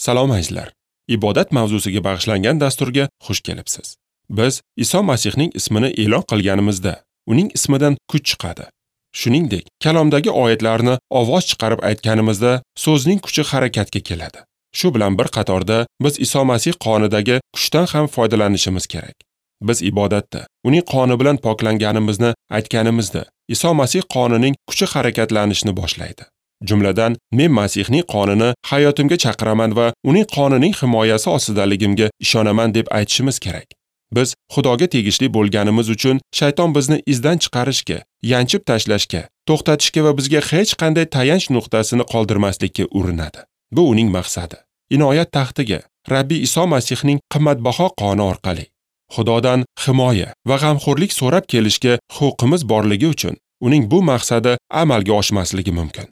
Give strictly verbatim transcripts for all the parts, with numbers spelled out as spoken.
Salom azizlar. Ibodat mavzusiga bag'ishlangan dasturga xush kelibsiz. Biz Iso Masihning ismini e'lon qilganimizda, uning ismidan kuch chiqadi. Shuningdek, kalomdagi oyatlarni ovoz chiqarib aytganimizda so'zning kuchi harakatga keladi. Shu bilan bir qatorda biz Iso Masih qonidagi kuchdan ham foydalanishimiz kerak. Biz ibodatda uning qoni bilan poklanganimizni aytganimizda Iso Masih qonining kuchi harakatlanishni boshlaydi. Jumladan, men Masihning qonini hayotimga chaqiraman va uning qonining himoyasi ostidaligimga ishonaman deb aytishimiz kerak. Biz Xudoga tegishli bo'lganimiz uchun shayton bizni izdan chiqarishga, yanchib tashlashga, to'xtatishga va bizga hech qanday tayanch nuqtasini qoldirmaslikka urinadi. Bu uning maqsadi. Inoyat taxtiga Rabbi Iso Masihning qimmatbaho qoni orqali Xudodan himoya va g'amxo'rlik so'rab kelishga huquqimiz borligi uchun uning bu maqsadi amalga oshmasligi mumkin.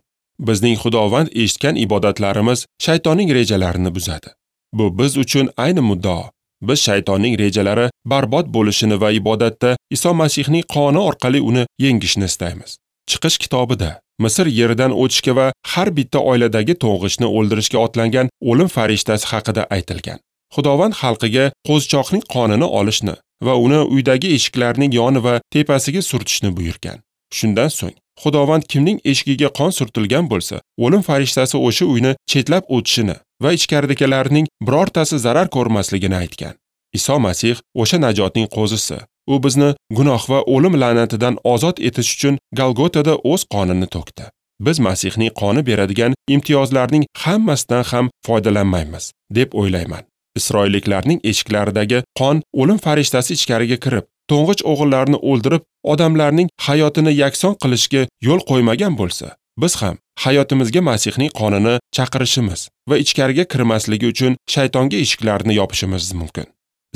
Bizning Xudovand eshitgan ibodatlarimiz shaytonning rejalarini buzadi. Bu biz uchun ayni muddao. Biz shaytonning rejalari barbod bo'lishini va ibodatda Iso Masihning qoni orqali uni yengishni istaymiz. Chiqish kitobida Misr yeridan o'tishga va har bitta oiladagi to'ng'ichni o'ldirishga otlangan o'lim farishtasi haqida aytilgan. Xudovand xalqiga qo'zichoqning qonini olishni va uni uydagi eshiklarning yoni va tepasiga surtishni buyurgan. Shundan so'ng Xudovand kimning eshigiga qon surtilgan bo'lsa, o'lim farishtasi o'sha uyni chetlab o'tishini va ichkaridagilarning birortasi zarar ko'rmasligini aytgan. Iso Masih o'sha najotning qo'zisi. U bizni gunoh va o'lim la'natidan ozod etish uchun Golgotada o'z qonini to'kdi. Biz Masihning qoni beradigan imtiyozlarning hammasidan ham foydalanmaymiz, deb o'ylayman. Isroilliklarning eshiklaridagi qon o'lim farishtasi ichkariga kirib, to'ng'ich o'g'illarni o'ldirib, odamlarning hayotini yakson qilishga yo'l qo'ymagan bo'lsa, biz ham hayotimizga Masihning qonini chaqirishimiz va ichkariga kirmasligi uchun shaytonga eshiklarni yopishimiz mumkin.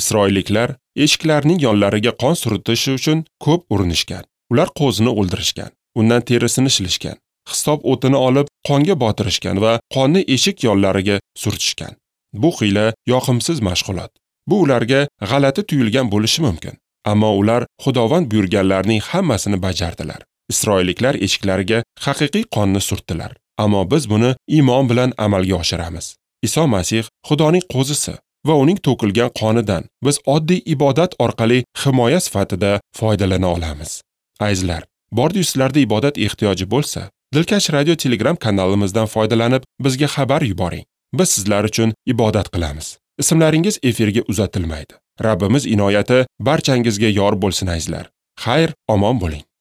Isroilliklar eshiklarning yonlariga qon surtishi uchun ko'p urinishgan. Ular qo'zini o'ldirishgan, undan terisini shilishgan, hisob o'tini olib qonga botirishgan va qonni eshik yonlariga surtishgan. Bu xiyla yoqimsiz mashg'ulot. Bu ularga g'alati tuyulgan bo'lishi mumkin. Ammo ular Xudovand buyurganlarning hammasini bajardilar. Isroilliklar eshiklariga haqiqiy qonni surtdilar. Ammo biz buni iymon bilan amalga oshiramiz. Iso Masih Xudoning qo'zisi va uning to'kilgan qonidan biz oddiy ibodat orqali himoya sifatida foydalana olamiz. Azizlar, bordi sizlarda ibodat ehtiyoji bo'lsa, Dilkash radio Telegram kanalimizdan foydalanib bizga xabar yuboring. Biz sizlar uchun ibodat qilamiz. Ismlaringiz efirga uzatilmaydi. Rabbimiz inoyati barchangizga yor bo'lsin azizlar. Xayr, omon bo'ling.